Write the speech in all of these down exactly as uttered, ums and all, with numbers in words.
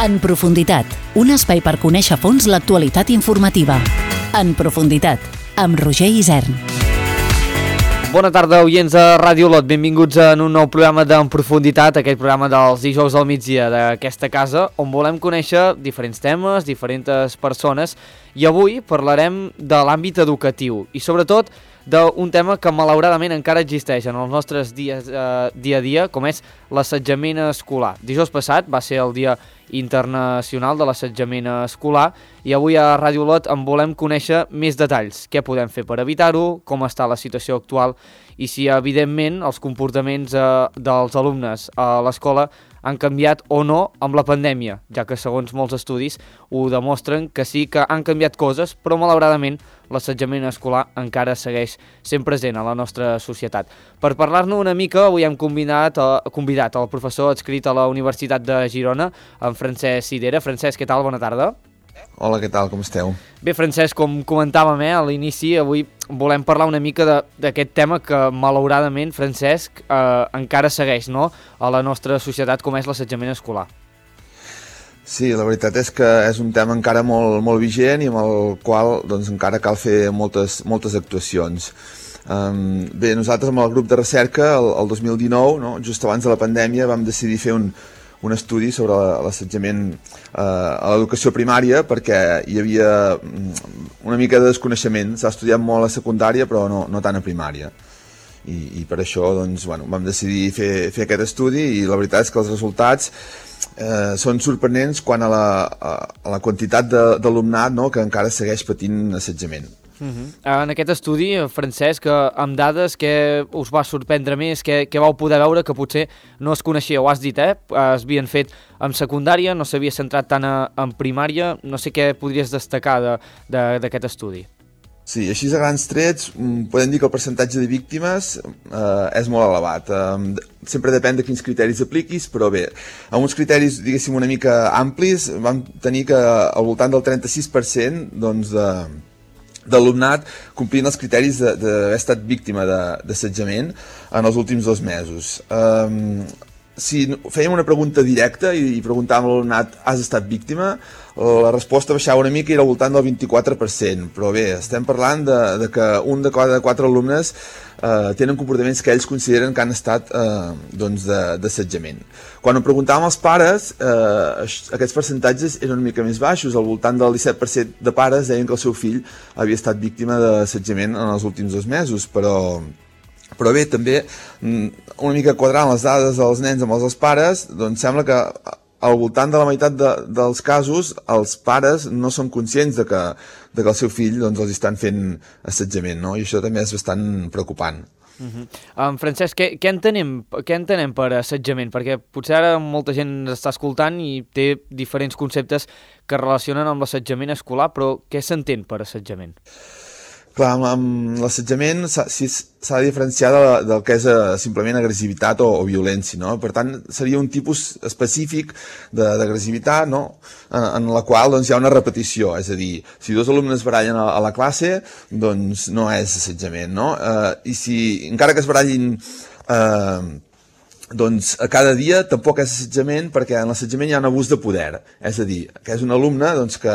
En profunditat, un espai per conèixer a fons l'actualitat informativa. En profunditat, amb Roger Isern. Bona tarda, oients de Ràdio Olot. Benvinguts en un nou programa d'En Profunditat, aquest programa dels dijous al migdia d'aquesta casa, on volem conèixer diferents temes, diferents persones, i avui parlarem de l'àmbit educatiu i sobretot d'un tema que malauradament encara existeix en els nostres dies, eh, dia a dia, com és l'assetjament escolar. Dijous passat va ser el Dia Internacional de l'Assetjament Escolar i avui a Ràdio Olot en volem conèixer més detalls. Què podem fer per evitar-ho, com està la situació actual i si, evidentment, els comportaments eh, dels alumnes a l'escola han canviat o no amb la pandèmia, ja que segons molts estudis ho demostren que sí que han canviat coses, però malauradament l'assetjament escolar encara segueix sent present a la nostra societat. Per parlar-ne una mica, avui hem convidat, eh, convidat el professor adscrit a la Universitat de Girona, en Francesc Sidera. Francesc, què tal? Bona tarda. Hola, què tal? Com esteu? Bé, Francesc, com comentàvem eh, a l'inici, avui volem parlar una mica d'aquest tema que, malauradament, Francesc, eh, encara segueix, no?, a la nostra societat, com és l'assetjament escolar. Sí, la veritat és que és un tema encara molt, molt vigent i amb el qual doncs, encara cal fer moltes, moltes actuacions. Um, bé, nosaltres amb el grup de recerca, el, el dos mil dinou, no, just abans de la pandèmia, vam decidir fer un, un estudi sobre l'assetjament eh, a l'educació primària perquè hi havia una mica de desconeixement. S'ha estudiat molt a secundària però no, no tant a primària. I, i per això doncs, bueno, vam decidir fer, fer aquest estudi i la veritat és que els resultats eh, són sorprenents quant a la, a, a la quantitat d'alumnat, no, que encara segueix patint assetjament. Uh-huh. En aquest estudi, Francesc, amb dades, què us va sorprendre més? Què, què vau poder veure que potser no es coneixia? Ho has dit, eh? Es havien fet en secundària, no s'havia centrat tant a, en primària. No sé què podries destacar d'aquest de, estudi. Sí, així a grans trets podem dir que el percentatge de víctimes eh, és molt elevat. Eh, sempre depèn de quins criteris apliquis, però bé, amb uns criteris, diguéssim, una mica amplis, vam tenir que al voltant del trenta-sis per cent doncs, de d'alumnat complint els criteris d'haver estat víctima d'assetjament en els últims dos mesos. Um, si fèiem una pregunta directa i, i preguntàvem a l'alumnat has estat víctima, la resposta baixava una mica i era al voltant del vint-i-quatre per cent, però bé, estem parlant de, de que un de cada quatre alumnes eh, tenen comportaments que ells consideren que han estat eh, doncs d'assetjament. Quan ho preguntàvem als pares, eh, aquests percentatges eren una mica més baixos, al voltant del disset per cent de pares deien que el seu fill havia estat víctima d'assetjament en els últims dos mesos, però... Però bé, també, una mica quadrant les dades dels nens amb els dels pares, doncs sembla que al voltant de la meitat de, dels casos els pares no són conscients de que, de que el seu fill doncs, els estan fent assetjament, no? I això també és bastant preocupant. Uh-huh. um, Francesc, què, què, entenem, què entenem per assetjament? Perquè potser ara molta gent està escoltant i té diferents conceptes que relacionen amb l'assetjament escolar, però què s'entén per assetjament? Clar, amb, amb l'assetjament s'ha de diferenciar de, del que és uh, simplement agressivitat o, o violència, no? Per tant, seria un tipus específic d'agressivitat, no? En, en la qual doncs, hi ha una repetició, és a dir, si dos alumnes barallen a, a la classe, doncs no és assetjament, no? Uh, I si, encara que es barallin uh, doncs a cada dia tampoc és assetjament perquè en l'assetjament hi ha un abús de poder, és a dir, que és un alumne doncs, que,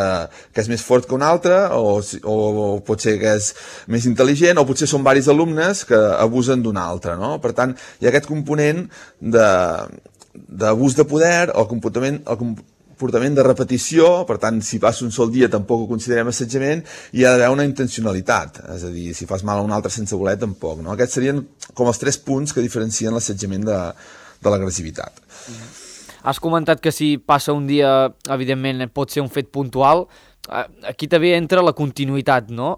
que és més fort que un altre o, o, o pot ser que és més intel·ligent o potser són diversos alumnes que abusen d'un altre, no? Per tant, hi ha aquest component d'abús de, de poder o comportament, el comportament de repetició, per tant, si passa un sol dia tampoc ho considerem assetjament i hi ha d'haver una intencionalitat, és a dir, si fas mal a un altre sense voler tampoc, no? Aquests serien com els tres punts que diferencien l'assetjament de, de l'agressivitat. Has comentat que si passa un dia, evidentment, pot ser un fet puntual. Aquí també entra la continuïtat, no?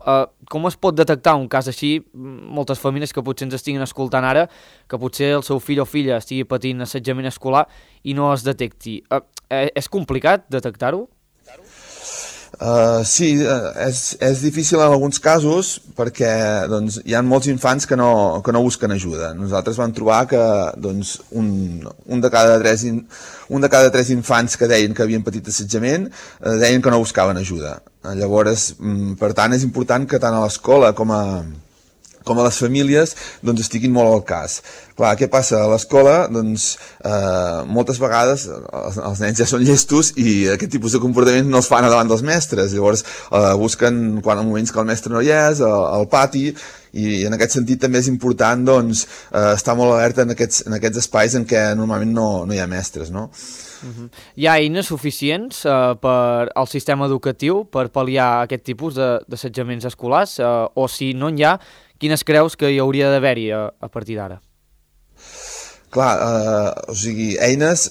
Com es pot detectar un cas així? Moltes famílies que potser ens estiguin escoltant ara, que potser el seu fill o filla estigui patint assetjament escolar i no es detecti. És complicat detectar-ho? Uh, sí, uh, és, és difícil en alguns casos perquè doncs, hi ha molts infants que no, que no busquen ajuda. Nosaltres vam trobar que doncs, un, un, de cada tres in, un de cada tres infants que deien que havien patit assetjament uh, deien que no buscaven ajuda. Uh, llavors, um, per tant, és important que tant a l'escola com a com a les famílies, doncs estiguin molt al cas. Clar, què passa? A l'escola, doncs, eh, moltes vegades els, els nens ja són llestos i aquest tipus de comportaments no els fan davant dels mestres. Llavors, eh, busquen, quan en moments que el mestre no hi és, al, al pati, i en aquest sentit també és important, doncs, eh, estar molt alerta en aquests, en aquests espais en què normalment no, no hi ha mestres, no? Uh-huh. Hi ha eines suficients uh, per al sistema educatiu per pal·liar aquest tipus d'assetjaments escolars, uh, o si no n'hi ha, quines creus que hi hauria d'haver-hi a, a partir d'ara? Clar, eh, o sigui, eines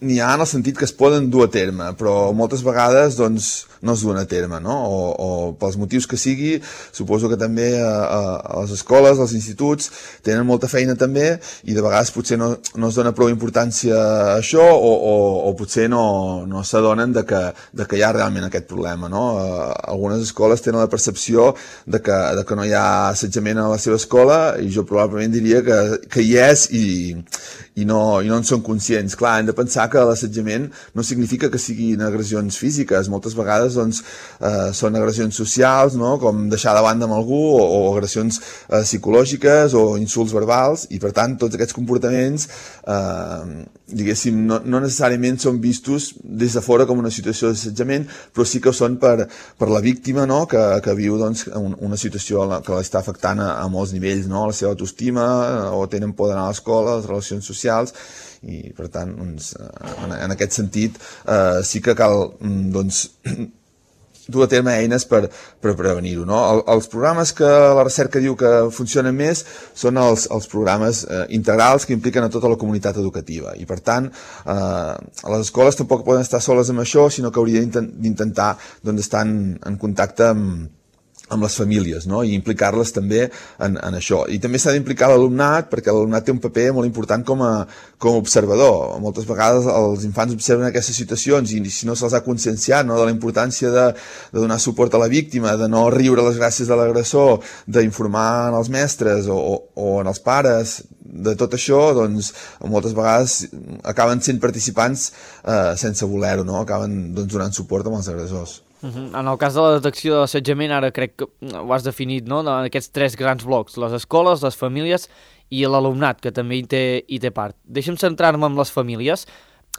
n'hi ha en el sentit que es poden dur a terme, però moltes vegades doncs, no es duen a terme, no? O, o pels motius que sigui, suposo que també a, a, a les escoles, als instituts, tenen molta feina també i de vegades potser no, no es dona prou importància a això o, o, o potser no, no s'adonen de, que, de que hi ha realment aquest problema, no? Uh, algunes escoles tenen la percepció de que, de que no hi ha assetjament a la seva escola i jo probablement diria que, que hi és i, i, no, i no en són conscients. Clar, hem de pensar que l'assetjament no significa que siguin agressions físiques, moltes vegades doncs, eh, són agressions socials, no? Com deixar de banda amb algú o, o agressions eh, psicològiques o insults verbals i per tant tots aquests comportaments eh, diguéssim no, no necessàriament són vistos des de fora com una situació d'assetjament, però sí que ho són per, per la víctima, no? que, que viu doncs, una situació que l'està afectant a, a molts nivells, no? La seva autoestima o tenen por d'anar a l'escola, les relacions socials i per tant doncs, en, en aquest sentit eh, sí que cal doncs dur a terme eines per, per prevenir-ho, no? El, els programes que la recerca diu que funcionen més són els, els programes eh, integrals que impliquen a tota la comunitat educativa i per tant eh, les escoles tampoc poden estar soles amb això, sinó que haurien d'intentar doncs, estar en, en contacte amb amb les famílies, no? I implicar-les també en, en això. I també s'ha d'implicar l'alumnat, perquè l'alumnat té un paper molt important com a, com a observador. Moltes vegades els infants observen aquestes situacions i si no se'ls ha conscienciat, no? De la importància de, de donar suport a la víctima, de no riure les gràcies de l'agressor, d'informar en els mestres o, o, o en els pares, de tot això, doncs, moltes vegades acaben sent participants eh, sense voler-ho, no? Acaben doncs, donant suport amb els agressors. Uh-huh. En el cas de la detecció de l'assetjament, ara crec que ho has definit, no? En aquests tres grans blocs, les escoles, les famílies i l'alumnat, que també hi té, hi té part. Deixa'm centrar-me en les famílies.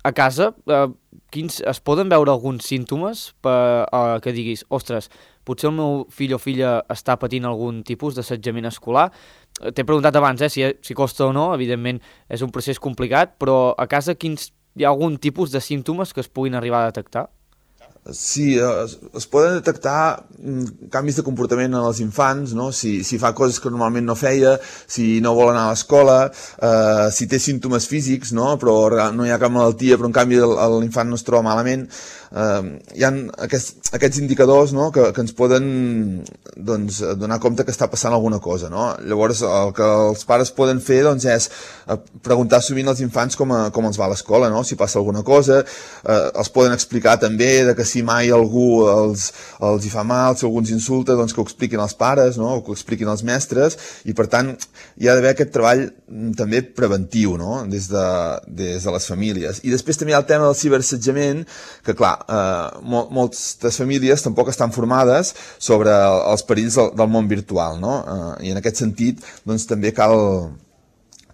A casa, eh, quins, es poden veure alguns símptomes per, eh, que diguis, ostres, potser el meu fill o filla està patint algun tipus d'assetjament escolar? T'he preguntat abans eh, si, si costa o no, evidentment és un procés complicat, però a casa quins, hi ha algun tipus de símptomes que es puguin arribar a detectar? Sí, es, es poden detectar canvis de comportament en els infants, no? Si, si fa coses que normalment no feia, si no vol anar a l'escola, eh, si té símptomes físics, no? Però no hi ha cap malaltia, però en canvi l'infant no es troba malament. Eh, hi ha aquests, aquests indicadors, no? que, que ens poden doncs, donar compte que està passant alguna cosa, no? Llavors el que els pares poden fer doncs, és preguntar sovint als infants com, a, com els va a l'escola, no? Si passa alguna cosa, eh, els poden explicar també de que si mai algú els, els hi fa mal, si algú ens insulta, doncs que ho expliquin els pares, no? O que ho expliquin els mestres, i per tant hi ha d'haver aquest treball també preventiu, no? Des de, des de les famílies. I després també hi ha el tema del ciberassetjament, que clar, eh, mol, moltes famílies tampoc estan formades sobre els perills del, del món virtual, no? Eh, I en aquest sentit doncs també cal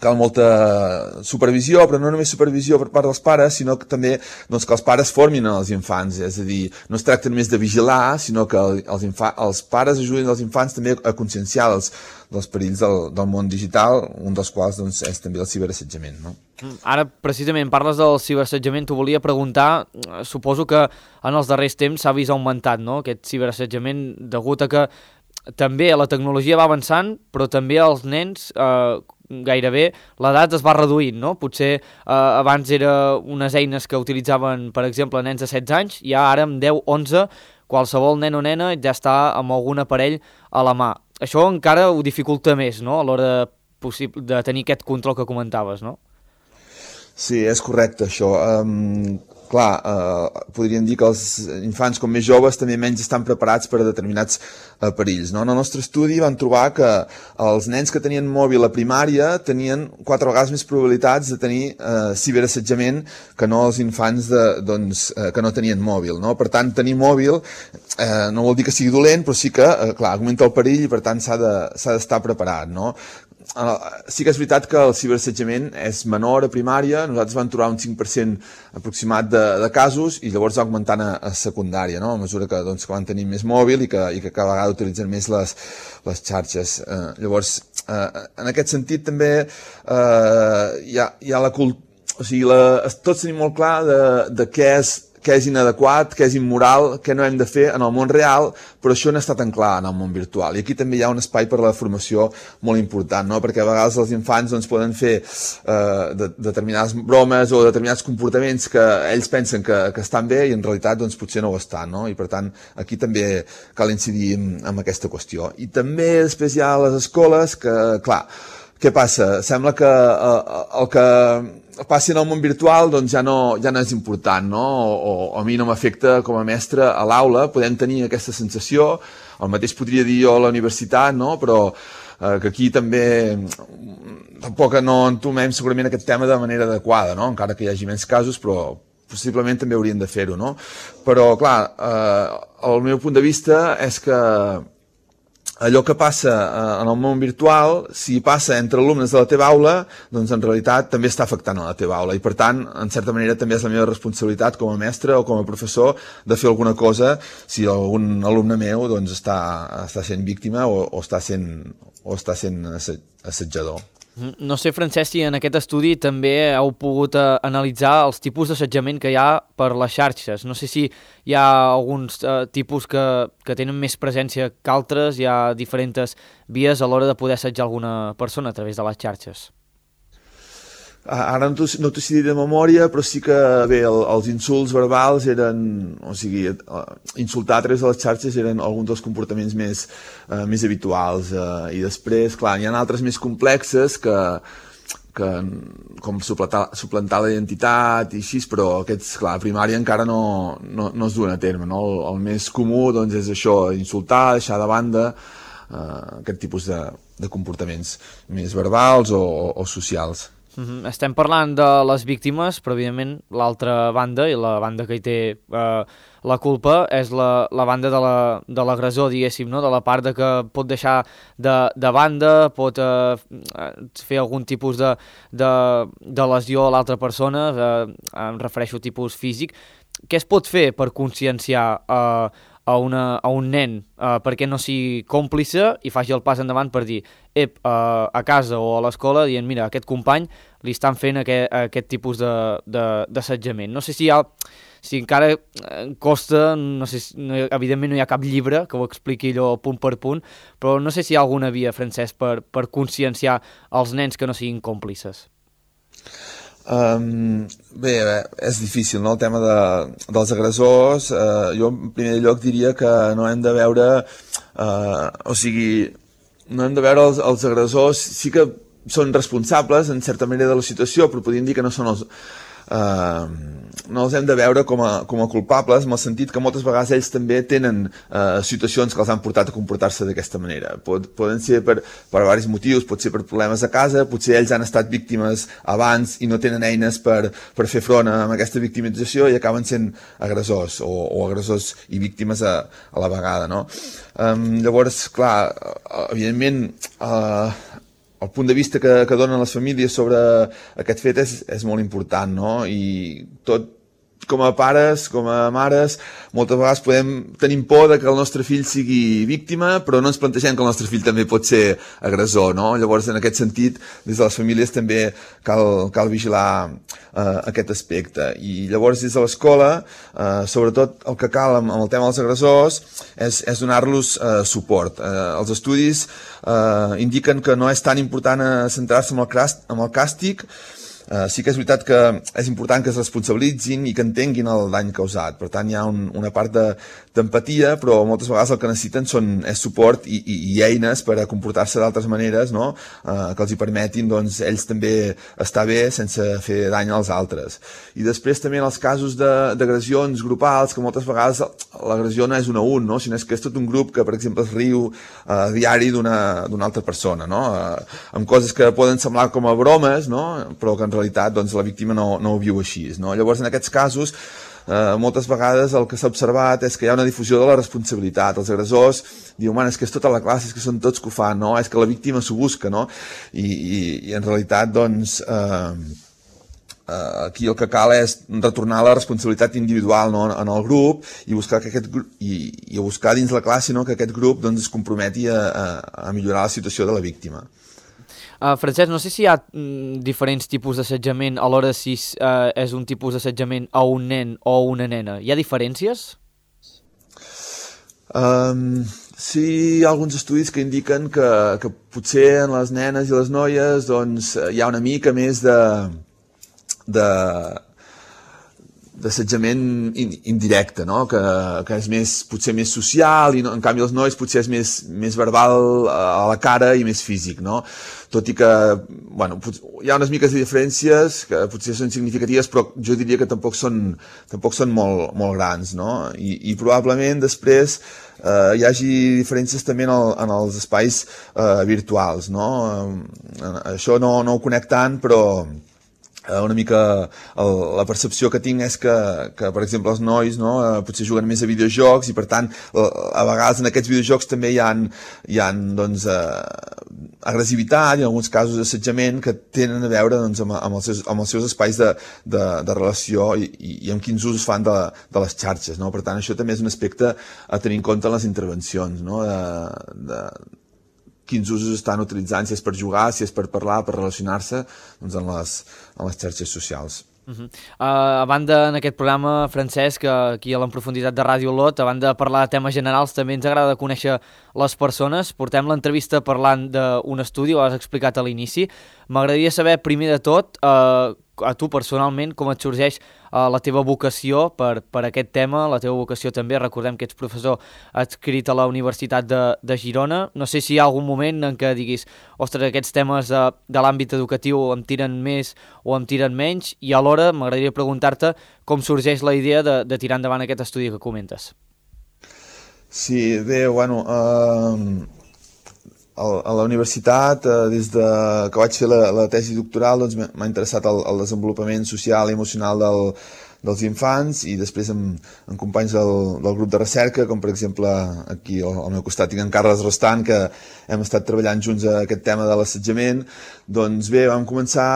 cal molta supervisió, però no només supervisió per part dels pares, sinó que també doncs, que els pares formin els infants, és a dir, no es tracta només de vigilar, sinó que els, els pares ajudin els infants també a conscienciar els, dels perills del, del món digital, un dels quals doncs, és també el ciberassetjament, no? Ara, precisament, parles del ciberassetjament, t'ho volia preguntar, suposo que en els darrers temps s'ha vist augmentat, no?, aquest ciberassetjament, degut a que també la tecnologia va avançant, però també els nens eh, gairebé l'edat es va reduint, no? Potser eh, abans era unes eines que utilitzaven, per exemple, nens de setze anys, i ara amb deu, onze, qualsevol nen o nena ja està amb algun aparell a la mà. Això encara ho dificulta més, no?, a l'hora de, de tenir aquest control que comentaves, no? Sí, és correcte, això. Um, clar, eh, podríem dir que els infants com més joves també menys estan preparats per a determinats eh, perills, no? En el nostre estudi vam trobar que els nens que tenien mòbil a primària tenien quatre vegades més probabilitats de tenir eh, ciberassetjament que no els infants de, doncs, eh, que no tenien mòbil, no? Per tant, tenir mòbil eh, no vol dir que sigui dolent, però sí que, eh, clar, augmenta el perill i per tant s'ha de, s'ha d'estar preparat, no? Sí que és veritat que el ciberassetjament és menor a primària, nosaltres vam trobar un cinc per cent aproximat de, de casos i llavors va augmentant a, a secundària, no? A mesura que, doncs, que van tenir més mòbil i que, i que cada vegada utilitzen més les, les xarxes. Eh, llavors, eh, en aquest sentit també eh, hi, ha, hi ha la cultura, o sigui, la, tots tenim molt clar de, de què és què és inadequat, què és immoral, què no hem de fer en el món real, però això no està tan clar en el món virtual. I aquí també hi ha un espai per a la formació molt important, no? Perquè a vegades els infants doncs, poden fer eh, de, determinades bromes o determinats comportaments que ells pensen que, que estan bé i en realitat doncs, potser no ho estan, no? I per tant aquí també cal incidir en, en aquesta qüestió. I també després hi ha les escoles que, clar, què passa? Sembla que eh, el que passi en el món virtual doncs ja no, ja no és important, no? O, o a mi no m'afecta com a mestre a l'aula, podem tenir aquesta sensació, el mateix podria dir jo a la universitat, no? Però eh, que aquí també tampoc no entomem segurament aquest tema de manera adequada, no? Encara que hi hagi menys casos, però possiblement també haurien de fer-ho, no? Però, clar, eh, el meu punt de vista és que allò que passa en el món virtual, si passa entre alumnes de la teva aula, doncs en realitat també està afectant a la teva aula i per tant, en certa manera també és la meva responsabilitat com a mestre o com a professor de fer alguna cosa si algun alumne meu doncs està, està sent víctima o, o està sent, o està sent assetjador. No sé, Francesc, si en aquest estudi també heu pogut eh, analitzar els tipus d'assetjament que hi ha per les xarxes. No sé si hi ha alguns eh, tipus que, que tenen més presència que altres, hi ha diferents vies a l'hora de poder assetjar alguna persona a través de les xarxes. Ara no t'ho no sé dir de memòria, però sí que bé, el, els insults verbals eren, o sigui, insultar a través de les xarxes eren alguns dels comportaments més, eh, més habituals. Eh, I després, clar, hi ha altres més complexes que, que com suplantar, suplantar la identitat i així, però aquests, clar, a primària encara no, no, no es duen a terme, no? El, el més comú doncs, és això, insultar, deixar de banda eh, aquest tipus de, de comportaments més verbals o, o, o socials. Mm-hmm. Estem parlant de les víctimes, però evidentment l'altra banda, i la banda que hi té eh, la culpa, és la, la banda de la, de l'agressor, diguéssim, no? De la part de que pot deixar de, de banda, pot eh, fer algun tipus de, de, de lesió a l'altra persona, eh, em refereixo a tipus físic. Què es pot fer per conscienciar eh, a, una, a un nen eh, perquè no sigui còmplice i faci el pas endavant per dir ep, eh, a casa o a l'escola dient mira, a aquest company li estan fent aquest, aquest tipus d'assetjament. No sé si hi ha, si encara costa, no sé, no, evidentment no hi ha cap llibre que ho expliqui allò punt per punt, però no sé si hi ha alguna via, Francesc, per, per conscienciar els nens que no siguin còmplices. Um, bé, bé, és difícil, no?, el tema de, dels agressors. Uh, jo en primer lloc diria que no hem de veure uh, o sigui, no hem de veure els, els agressors, sí que són responsables en certa manera de la situació, però podríem dir que no són els Uh, no els hem de veure com a, com a culpables, en el sentit que moltes vegades ells també tenen uh, situacions que els han portat a comportar-se d'aquesta manera. Pod, poden ser per, per diversos motius, pot ser per problemes a casa, potser ells han estat víctimes abans i no tenen eines per, per fer front a aquesta victimització i acaben sent agressors o, o agressors i víctimes a, a la vegada, no? Um, llavors, clar, evidentment uh, el punt de vista que, que donen les famílies sobre aquest fet és, és molt important, no? I tot, com a pares, com a mares, moltes vegades podem tenir por de que el nostre fill sigui víctima, però no ens plantegem que el nostre fill també pot ser agressor, no? Llavors, en aquest sentit, des de les famílies també cal, cal vigilar eh, aquest aspecte. I llavors, des de l'escola, eh, sobretot el que cal amb, amb el tema dels agressors és, és donar-los eh, suport. Eh, els estudis eh, indiquen que no és tan important centrar-se en el, en el càstig, Uh, sí que és veritat que és important que es responsabilitzin i que entenguin el dany causat. Per tant, hi ha un, una part d'empatia, però moltes vegades el que necessiten són, és suport i, i, i eines per a comportar-se d'altres maneres, no? uh, que els hi permetin doncs, ells també estar bé sense fer dany als altres. I després també en els casos d'agressions grupals, que moltes vegades l'agressió no és un a un, no? Sinó que és tot un grup que, per exemple, es riu a uh, diari d'una altra persona, no? Uh, amb coses que poden semblar com a bromes, no? Però que en realitat doncs, la víctima no, no ho viu així, no? Llavors, en aquests casos, eh, moltes vegades el que s'ha observat és que hi ha una difusió de la responsabilitat. Els agressors diuen, man, és que és tota la classe, és que són tots que ho fan, no? És que la víctima s'ho busca, no? I, i, i en realitat, doncs, eh, eh, aquí el que cal és retornar la responsabilitat individual, no? En el grup i buscar, que aquest grup, i, i buscar dins la classe, no? Que aquest grup doncs, es comprometi a, a, a millorar la situació de la víctima. Uh, Francesc, no sé si hi ha mm, diferents tipus d'assetjament a l'hora si uh, és un tipus d'assetjament a un nen o una nena. Hi ha diferències? Um, sí, hi ha alguns estudis que indiquen que, que potser en les nenes i les noies doncs, hi ha una mica més de... de d'assetjament indirecte, no? que, que és més, potser més social, i no, en canvi els nois potser és més, més verbal a la cara i més físic, no? Tot i que, bueno, hi ha unes miques de diferències que potser són significatives, però jo diria que tampoc són, tampoc són molt, molt grans, no? I, i probablement després eh, hi hagi diferències també en, el, en els espais eh, virtuals, no? Eh, això no, no ho conec tant, però una mica el, la percepció que tinc és que, que per exemple, els nois, no, potser juguen més a videojocs i, per tant, a vegades en aquests videojocs també hi ha, hi ha doncs, eh, agressivitat i en alguns casos assetjament que tenen a veure doncs, amb, amb, els seus, amb els seus espais de, de, de relació i, i, i amb quins usos fan de, de les xarxes, no? Per tant, això també és un aspecte a tenir en compte en les intervencions, no? de, de, quins usos estan utilitzant, si és per jugar, si és per parlar, per relacionar-se doncs en, les, en les xarxes socials. Uh -huh. uh, a banda, en aquest programa, Francesc, aquí a l'En Profunditat de Ràdio Olot, a banda de parlar de temes generals, també ens agrada conèixer les persones. Portem l'entrevista parlant d'un estudi, ho has explicat a l'inici. M'agradaria saber, primer de tot, uh, a tu personalment, com et sorgeix uh, la teva vocació per, per aquest tema, la teva vocació també, recordem que ets professor adscrit a la Universitat de, de Girona. No sé si hi ha algun moment en què diguis, ostres, aquests temes de, de l'àmbit educatiu em tiren més o em tiren menys, i alhora m'agradaria preguntar-te com sorgeix la idea de, de tirar endavant aquest estudi que comentes. Sí, bé, bueno... Uh... A la universitat, des de que vaig fer la, la tesi doctoral, doncs m'ha interessat el, el desenvolupament social i emocional del, dels infants, i després amb, amb companys del, del grup de recerca, com per exemple aquí al, al meu costat tinc en Carles Rostant, que hem estat treballant junts a aquest tema de l'assetjament. Doncs bé, vam començar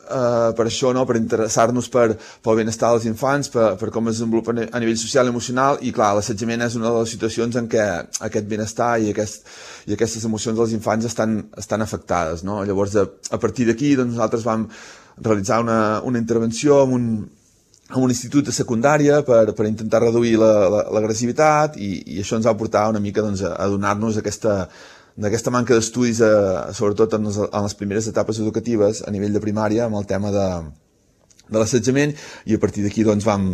Uh, per això, no? Per interessar-nos per, pel benestar dels infants, per, per com es desenvolupa a nivell social i emocional, i clar, l'assetjament és una de les situacions en què aquest benestar i, aquest, i aquestes emocions dels infants estan, estan afectades, no? Llavors, a, a partir d'aquí, doncs, nosaltres vam realitzar una, una intervenció amb un, amb un institut de secundària per, per intentar reduir l'agressivitat, la, la, i, i això ens va portar una mica doncs, a, a donar-nos aquesta d'aquesta manca d'estudis, eh, sobretot en les, en les primeres etapes educatives a nivell de primària, amb el tema de, de l'assetjament, i a partir d'aquí doncs, vam,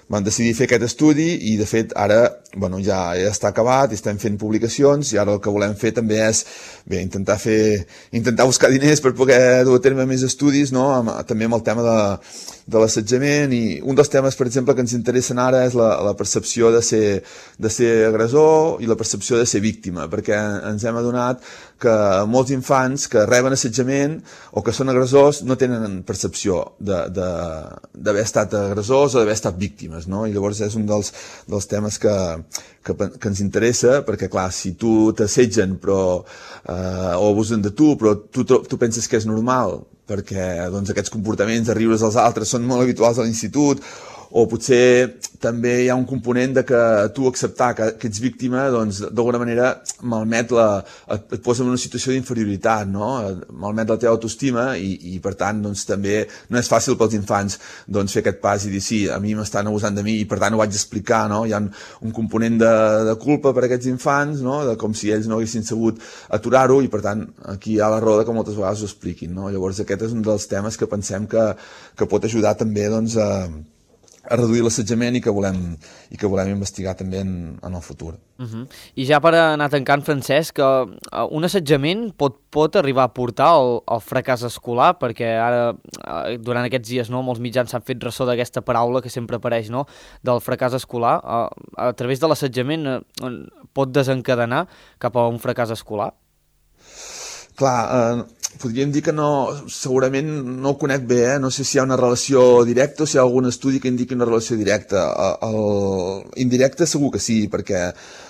vam decidir fer aquest estudi, i de fet ara bueno, ja, ja està acabat, i estem fent publicacions, i ara el que volem fer també és bé, intentar, fer, intentar buscar diners per poder dur a terme més estudis, no? amb, també amb el tema de, de l'assetjament, i un dels temes, per exemple, que ens interessen ara és la, la percepció de ser, de ser agressor i la percepció de ser víctima, perquè ens hem adonat que molts infants que reben assetjament o que són agressors no tenen percepció d'haver estat agressors o d'haver estat víctimes, no? I llavors és un dels, dels temes que, que, que ens interessa, perquè clar, si tu t'assetgen però, eh, o abusen de tu, però tu, tu penses que és normal, perquè doncs, aquests comportaments de riure's als altres són molt habituals a l'institut, o potser també hi ha un component de que tu acceptar que, que ets víctima, doncs d'alguna manera malmet la, et, et posa en una situació d'inferioritat, no? Malmet la teva autoestima i, i per tant doncs també no és fàcil pels infants doncs fer aquest pas i dir sí, a mi m'estan abusant de mi i per tant ho vaig explicar, no? Hi ha un, un component de, de culpa per a aquests infants, no? De com si ells no haguessin sabut aturar-ho i per tant aquí hi ha la raó de que moltes vegades ho expliquin, no? Llavors aquest és un dels temes que pensem que, que pot ajudar també doncs, a, a reduir l'assetjament i que volem i que volem investigar també en, en el futur. Uh-huh. I ja per anar tancant, Francesc, uh, un assetjament pot, pot arribar a portar al, al fracàs escolar, perquè ara, uh, durant aquests dies, no, molts mitjans s'han fet ressò d'aquesta paraula que sempre apareix, no, del fracàs escolar. Uh, a través de l'assetjament uh, pot desencadenar cap a un fracàs escolar? Clar, eh, podríem dir que no, segurament no ho conec bé, eh? No sé si hi ha una relació directa o si hi ha algun estudi que indiqui una relació directa. El, el indirecte segur que sí, perquè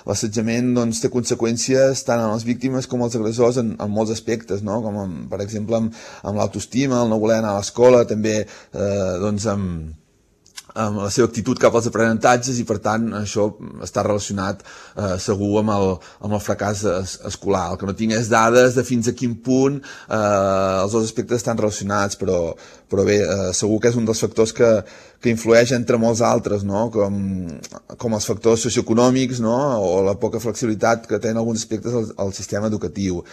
l'assetjament doncs, té conseqüències tant en les víctimes com els agressors en, en molts aspectes, no? Com en, per exemple amb, amb l'autoestima, el no voler anar a l'escola, també eh, doncs amb amb la seva actitud cap als aprenentatges i per tant això està relacionat eh, segur amb el, amb el fracàs es, escolar. El que no tinc és dades de fins a quin punt eh, els dos aspectes estan relacionats, però, però bé, eh, segur que és un dels factors que, que influeix entre molts altres, no? com, com els factors socioeconòmics, no? O la poca flexibilitat que tenen alguns aspectes al, al sistema educatiu.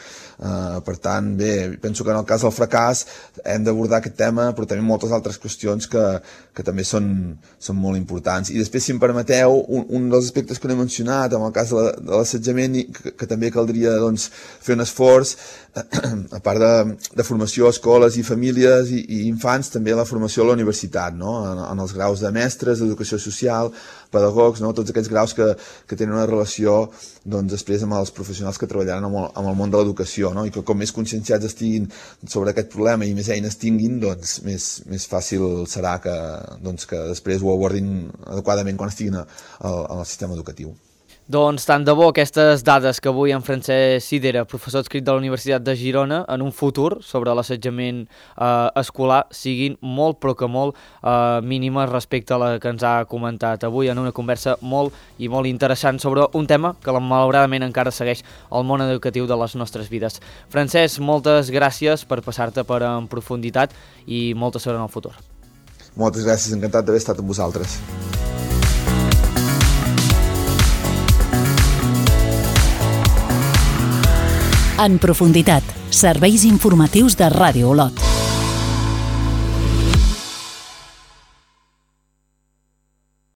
Eh, per tant, bé, penso que en el cas del fracàs hem d'abordar aquest tema, però també moltes altres qüestions que, que també són són molt importants. I després, si em permeteu, un, un dels aspectes que no he mencionat, en el cas de l'assetjament, que, que també caldria doncs, fer un esforç, a part de, de formació a escoles i famílies i, i infants, també la formació a la universitat, no? en, en els graus de mestres, d'educació social, pedagogs, no? Tots aquests graus que, que tenen una relació doncs, després amb els professionals que treballaran amb el, amb el món de l'educació, no? I que com més conscienciats estiguin sobre aquest problema i més eines tinguin, doncs més, més fàcil serà que, doncs, que després ho abordin adequadament quan estiguin a, a, al sistema educatiu. Doncs tant de bo aquestes dades que avui en Francesc Sidera, professor adscrit de la Universitat de Girona, en un futur sobre l'assetjament eh, escolar siguin molt però que molt eh, mínimes respecte a la que ens ha comentat avui en una conversa molt i molt interessant sobre un tema que malauradament encara segueix el món educatiu de les nostres vides. Francesc, moltes gràcies per passar-te per En Profunditat i molta sort en el futur. Moltes gràcies, encantat d'haver estat amb vosaltres. En Profunditat, serveis informatius de Ràdio Olot.